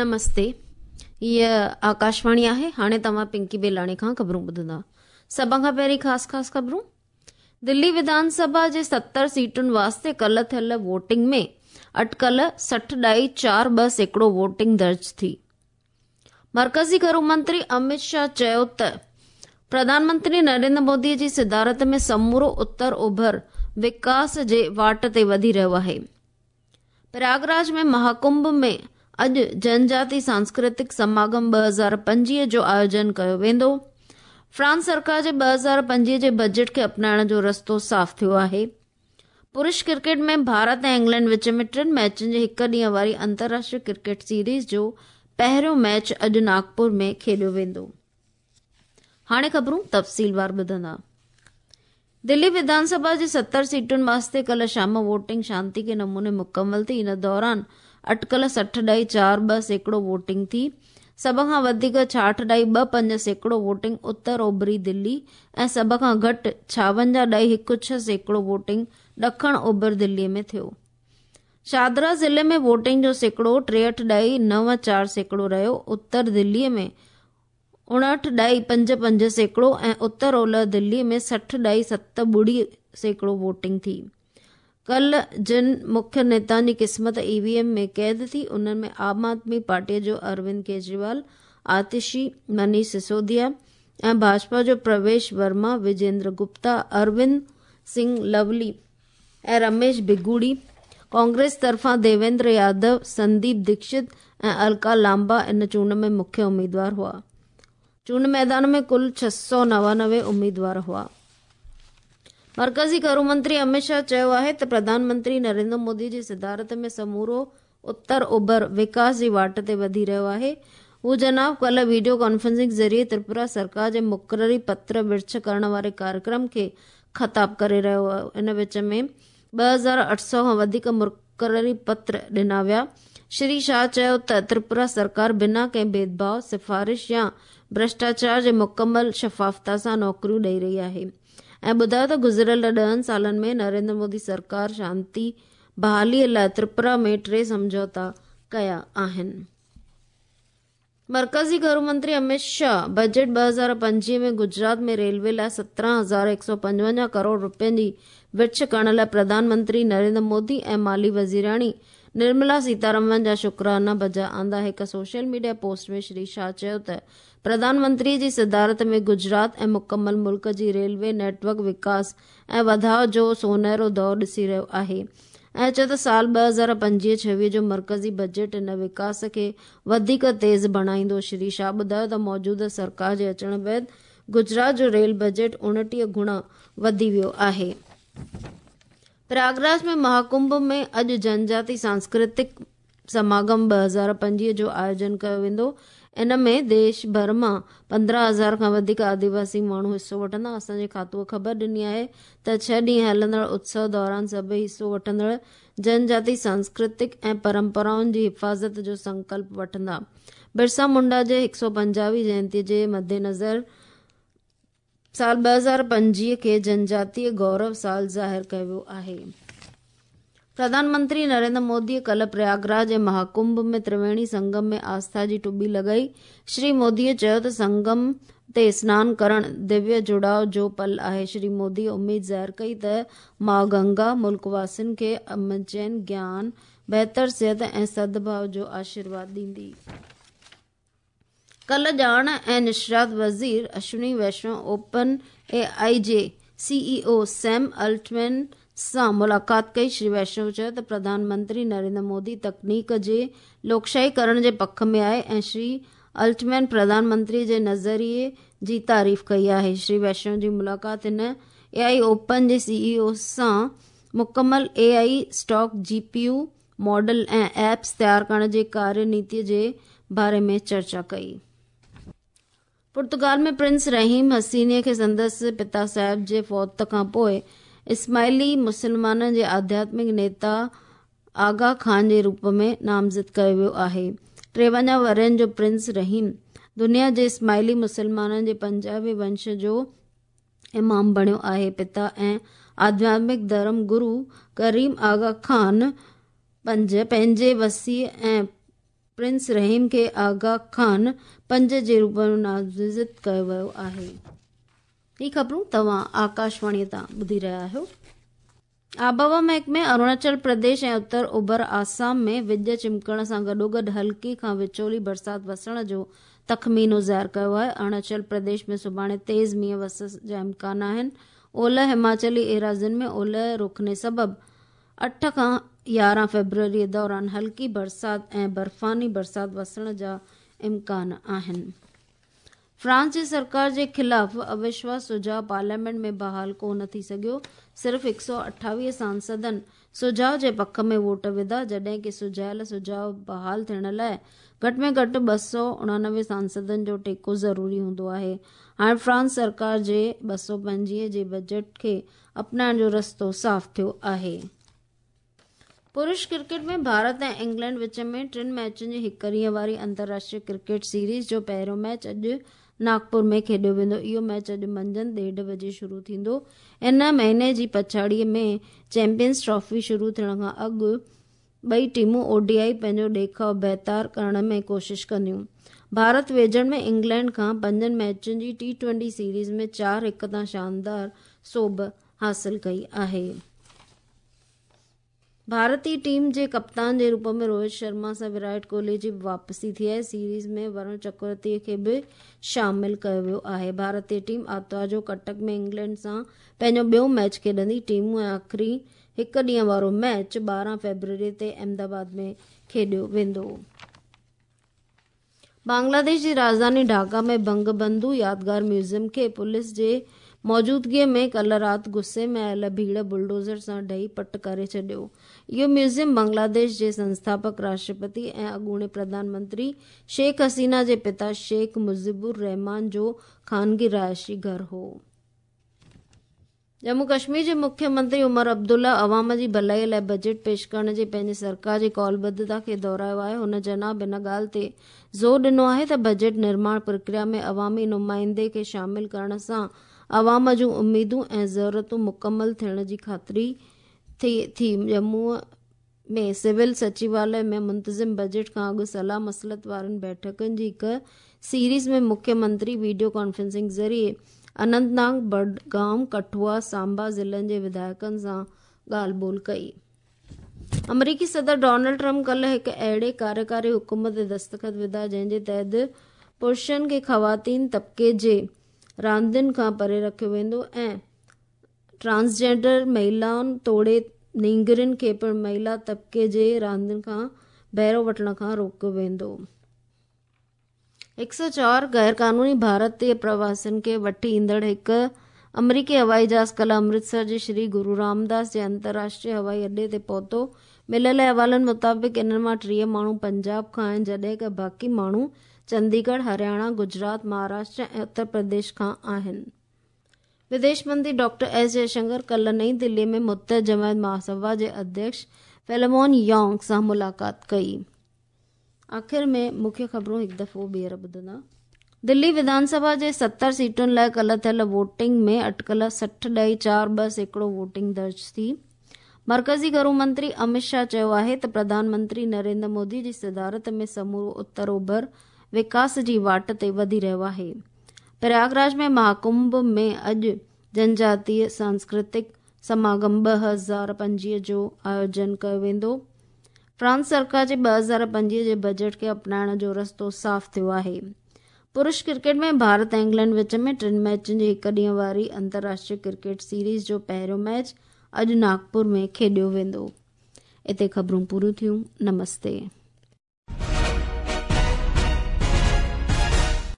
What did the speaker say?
نمستي هيء آڪاشواڻي آهي هاڻي توهان پنڪي بيلاڻي کان خبرون ٻڌندا سڀ کان پهرين خاص خاص خبرون دلي وڌان سڀا جي 70 سيٽن واسطي ڪلهه ٿيل ووٽنگ ۾ اٽڪل سٺ ڏائي چار ٻه سيڪڙو ووٽنگ درج ٿي. مرڪزي گهرو منتري امت شاهه چيو ته پرڌان منتري نريندر مودي جي صدارت ۾ سمورو اتر اوڀر وڪاس جي واٽ تي وڌي رهيو آهي. پرياگراج ۾ مهاڪنڀ ۾ اڄ جنجاتي سانسڪرتڪ سماگم 2025 جو آيوجن ڪيو ويندو. فرانس سرڪار جي 2025 جي بجيٽ کي اپنائڻ جو رستو صاف ٿيو آهي. پرش ڪرڪيٽ ۾ ڀارت ۽ انگلينڊ وچ ۾ ٽن ميچن جي هڪ ڏينهن واري انترراشٽري ڪرڪيٽ سيريز جو پهريون ميچ اڄ ناگپور ۾ کيڏيو ويندو. هاڻي خبرون تفصيلوار ٻڌندا. دلي وڌان سڀا جي 70 سيٽن واسطي ڪلهه شام ووٽنگ شانتي ڪي نموني مڪمل ٿي. ان دوران اٽڪل سٺ ڏائي چار ٻه سيڪڙو ووٽنگ ٿي. سڀ کان وڌيڪ ڇاهٺ ڏائي ٻه پنج سيڪڙو ووٽنگ اتر اوڀري دلي ۽ سڀ کان گهٽ ڇاونجاهه ڏائي هڪ ڇهه سيڪڙو ووٽنگ ڏکڻ اوڀر دلي ۾ ٿيو. شاهدرا ضلعي ۾ ووٽنگ جو سيڪڙو ٽيهٺ ڏائي نو چار سيڪڙو رهيو، اتر دلي ۾ اڻهٺ ڏائي پنج پنج سيڪڙو ۽ اتر اولهه دلي ۾ سٺ ڏائي ست ٻڙي سيڪڙو ووٽنگ ٿي. ڪلهه جن مکيه نيتائن جي قسمت اي وي ايم ۾ قيد ٿي، انهن ۾ عام آدمي پارٽيء جو اروند ڪيجريوال، آتشي، منيش سسوديا ۽ ڀاجپا جو پرويش ورما، وجيندر گپتا، اروند سنگهه لولي ۽ رميش بگوڙي، ڪانگريس طرفان ديويندر يادو، سنديپ دڪشت ۽ الڪا لامبا ان چونڊ ۾ مکيه اميدوار هئا. چونڊ ميدان ۾ ڪل 699 اميدوار هئا. مرڪزي گهرو منتري امت شاهه چيو آهي ته پرڌان منتري نريندر مودي جي صدارت ۾ سمورو اتر اوڀر وڪاس جي واٽ تي وڌي رهيو آهي. هو جناب ڪلهه ويڊيو ڪانفرنسنگ ذريعي تريپورا سرڪار جي مقرري پتر ورڇ ڪرڻ واري ڪاريڪرم کي خطاب ڪري رهيو هو. ان وچ ۾ 2800 کان وڌيڪ مقرري پتر ڏنا ويا. شري شاهه چيو ته تريپورا سرڪار بنا ڪنهن ڀيدڀاء، سفارش يا ڀرشٽاچار جي مڪمل شفافتا سان نوڪريون ڏئي رهي آهي ۽ ٻڌايو ته گذريل ڏهن سالن ۾ نريندر مودي سرڪار شانتي بحالي لاء تريپورا ۾ ٽي سمجهوتا ڪيا آهن. مرڪزي گهرو منتري امت شاهه بجيٽ 2025 ۾ گجرات ۾ ريلوي لاء 17,155 ڪروڙ رپين جي ورڇ ڪرڻ لاء پرڌان منتري نريندر مودي ۽ مالي وزيراڻي نرملا سيتارمن جا شڪرانا بجا آندا. هڪ social media post ۾ Shri Shah چيو ته پرڌان منتري جي صدارت ۾ گجرات ۽ مڪمل ملڪ جي ريلوي نيٽ ورڪ وڪاس ۽ وڌاء جو سونهرو دور ڏسي رهيو آهي ۽ چيو ته سال 2025 26 جو مرڪزي بجيٽ ان وڪاس کي وڌيڪ تيز بڻائيندو. شري شاهه ٻڌايو ته موجوده سرڪار جي اچڻ بعد گجرات جو ريل بجيٽ 29 گڻا وڌي ويو آهي. پرياگراج ۾ مهاڪنڀ ۾ اڄ جنجاتي سانسڪرتڪ سماگم 2025 جو آيوجن ڪيو ويندو. ان ۾ ديش ڀر مان 15,000 کان وڌيڪ آديواسي ماڻهو حصو وٺندا. اسان جي کاتوء خبر ڏني آهي ته ڇهه ڏينهن هلندڙ اتسو دوران سڀئي حصو وٺندڙ جنجاتي سانسڪرتڪ ۽ پرمپرائن جي حفاظت جو سنڪلپ وٺندا. برسا منڊا جي 150 وين جينتي جي مدنظر سال 2025 کي جنجاتيه گورو سال ظاهر ڪيو ويو آهي. پرڌان منتري نريندر موديء ڪلهه پرياگراج جي مهاڪنڀ ۾ ترويڻي سنگم ۾ آسٿا جي ٽٻي لڳائي. شري موديء چيو ته سنگم تي سنان ڪرڻ دويه جڙاء جو پل آهي. شري موديء اميد ظاهر ڪئي ته ماء گنگا ملڪ واسين کي امن چين، گيان، بهتر صحت ۽ سدڀاء جو آشيرواد ڏيندي. ڪلهه ڄاڻ ۽ نشريات وزير Ashwini Vaishnaw open A I جي سي اي او سيم الٽمين سان ملاقات ڪئي. شري ويشنو چيو ته پرڌان منتري نريندر مودي تڪنيڪ جي لوڪشاهي ڪرڻ جي پک ۾ آهي ۽ شري الٽمين پرڌان منتري جي نظريي جي تعريف ڪئي آهي. شري ويشنو جي ملاقات هن اي آء اوپن جي سي اي او سان مڪمل A I stack G P U model ۽ apps تيار ڪرڻ جي ڪاريه نيتي جي باري ۾ چرچا ڪئي. پرتگال ۾ پرنس رحيم حسينيء کي سندس پتا صاحب جي فوت کان پوء اسماعيلي مسلمانن جي آڌياتمڪ نيتا آغا خان جي روپ ۾ نامزد ڪيو ويو آهي. 53 ورهين جو پرنس رحيم دنيا جي اسماعيلي مسلمانن جي پنجاهوين ونش جو امام بڻيو آهي. پتا ۽ آڌياتمڪ ڌرم گرو ڪريم آغا خان پنج پنهنجي وسيع ۽ پرنس رحيم کي آغا خان پنج جي روپ ۾ نامزد ڪيو ويو آهي. هي خبرون توهان آڪاشواڻي تان ٻڌي رهيا آهيو. آبهوا محڪمي اروناچل پرديش ۽ اتر اوڀر آسام ۾ وڄ چمڪڻ سان گڏوگڏ هلڪي کان وچولي برسات وسڻ جو تخمينو ظاهر ڪيو آهي. اروناچل پرديش ۾ سڀاڻي تيز مينهن وسڻ جا امڪان آهن. اولهه هماچلي ايراضين ۾ اولهه رخني سبب 8 کان 11 فيبروري دوران هلڪي برسات ۽ برفاني برسات وسڻ جا امڪان آهن. فرانس جي سرڪار جي خلاف اوشواس سجهاء پارليامينٽ ۾ بحال ڪو نه ٿي سگهيو. صرف 128 سانسدن سجهاء جي پک ۾ ووٽ وڌا، جڏهن ڪي سجهايل سجهاء بحال ٿيڻ لاء گهٽ ۾ گهٽ 289 سانسدن جو ٽيڪو ضروري هوندو آهي. هاڻ فرانس سرڪار جي 225 جي بجيٽ کي اپنائڻ جو رستو صاف ٿيو آهي. پرش ڪرڪيٽ ۾ ڀارت ۽ انگلينڊ وچ ۾ ٽن ميچن جي هڪ ڏينهن واري انترراشٽريه ڪرڪيٽ سيريز جو پهريون ميچ اڄ ناگپور ۾ کيڏيو ويندو. اهو ميچ اڄ منجهند 1:30 بجي شروع ٿيندو. ان مهيني جي پڇاڙيء ۾ چيمپيئنز ٽرافي شروع ٿيڻ کان اڳ ٻئي ٽيمون او ڊي I پنهنجو ڏيکاء بهتر ڪرڻ ۾ ڪوشش ڪنديون. ڀارت ويجهڙ ۾ انگلينڊ کان پنجن ميچن جي ٽي ٽوئنٽي سيريز ۾ 4-1 تان شاندار سوڀ حاصل ڪئي آهي. ڀارتي ٽيم جي ڪپتان جي روپ ۾ روهت شرما سان ويرات ڪوهلي جي به واپسي ٿي آهي. سيريز ۾ ورڻ چڪرورتي کي به شامل ڪيو ويو آهي. ڀارتي ٽيم آتوار جو ڪٽڪ ۾ انگلينڊ سان پنهنجو ٻيو ميچ کيڏندي. ٽيمون ۽ آخري هڪ ڏينهن وارو ميچ 12 فيبروري تي احمد آباد ۾ کيڏيو ويندو. بنگلاديش جي راڄڌاني ڍاڪا ۾ بنگ بنڌو يادگار ميوزيم کي پوليس جي موجودگيء ۾ ڪلهه رات غصي ۾ آيل ڀيڙ بلڊوزر سان ڊهي پٽ ڪري ڇڏيو. اهو ميوزيم بنگلاديش جي سنسٿاپڪ راشٽرپتي ۽ اڳوڻي پرڌان منتري شيخ حسينه جي پتا شيخ مجيب الرحمان جو خانگي رهائشي گهر هو. ڄمون ڪشمير جي مکيه منتري عمر عبدالله عوام جي ڀلائي لاء بجيٽ پيش ڪرڻ جي پنهنجي سرڪار جي قولبڌتا کي دهرايو آهي. هن جناب ان ڳالهه تي زور ڏنو آهي ته بجيٽ نرماڻ پرڪريا ۾ عوامي نمائندي کي شامل ڪرڻ سان عوام جون اميدون ۽ ضرورتون مڪمل ٿيڻ جي خاطري ٿئي ٿي. ڄمون ۾ سول سچيواليه ۾ منتظم بجيٽ کان اڳ صلاح مصلحت وارين بيٺڪن جي هڪ سيريز ۾ مکيه منتري وڊيو ڪانفرنسنگ ذريعي اننت ناگ، بڊگام، ڪٺوا، سانبا ضلعن جي وڌايڪن سان ڳالهه ٻولهه ڪئي. آمريڪي صدر ڊونلڊ ٽرمپ ڪلهه هڪ اهڙي ڪاريڪاري حڪم تي دستخط وڌا جنهن جي تحت پرشن کي خواتين طبقي جي راندين کان پري رکيو ويندو ۽ ٽرانسجينڊر مهيلائن توڙي نينگرين کي پڻ مهيلا طبقي جي راندين کان بهرو وٺڻ کان روڪيو ويندو. 104 غيرقانوني ڀارتي پرواسين کي وٺي ايندڙ هڪ آمريڪي هوائي جهاز ڪلهه امرتسر جي شري گرو رامداس جي انترراشٽريه هوائي اڏي تي پهتو. مليل احوالن مطابق انهن مان 30 ماڻهو پنجاب کان آهن جڏهن ته باقي ماڻهو چنديڳڙهه، هرياڻا، گجرات، مهاراشٽر ۽ اتر پرديش کان آهن. وديش منتري ڊاڪٽر ايس جئشنڪر ڪلهه نئين دهلي ۾ متحد جماعت مهاسڀا جي اڌيڪش فيلمون يانگ سان ملاقات ڪئي. آخر ۾ مکيه خبرون هڪ دفعو ٻيهر ٻڌندا. دلي وڌان سڀا جي 70 سيٽن لاء ڪلهه ٿيل ووٽنگ ۾ اٽڪل 60.42% ووٽنگ درج ٿي. مرڪزي گهرو منتري امت شاهه چيو آهي ته پرڌان منتري نريندر مودي جي صدارت ۾ سمورو اتر اوڀر وڪاس جي واٽ تي وڌي رهيو آهي. پرياگراج ۾ مهاڪنڀ ۾ اڄ جنجاتيه سانسڪرتڪ سماگم 2025 جو آيوجن ڪيو ويندو. فرانس سرڪار جي 2025 جي بجيٽ کي اپنائڻ جو رستو صاف ٿيو آهي. پرش ڪرڪيٽ ۾ ڀارت ۽ انگلينڊ وچ ۾ ٽن ميچن جي هڪ ڏينهن واري انترراشٽريه ڪرڪيٽ سيريز جو پهريون ميچ اڄ ناگپور ۾ کيڏيو ويندو. اتي خبرون پوريون ٿيون. نمستي.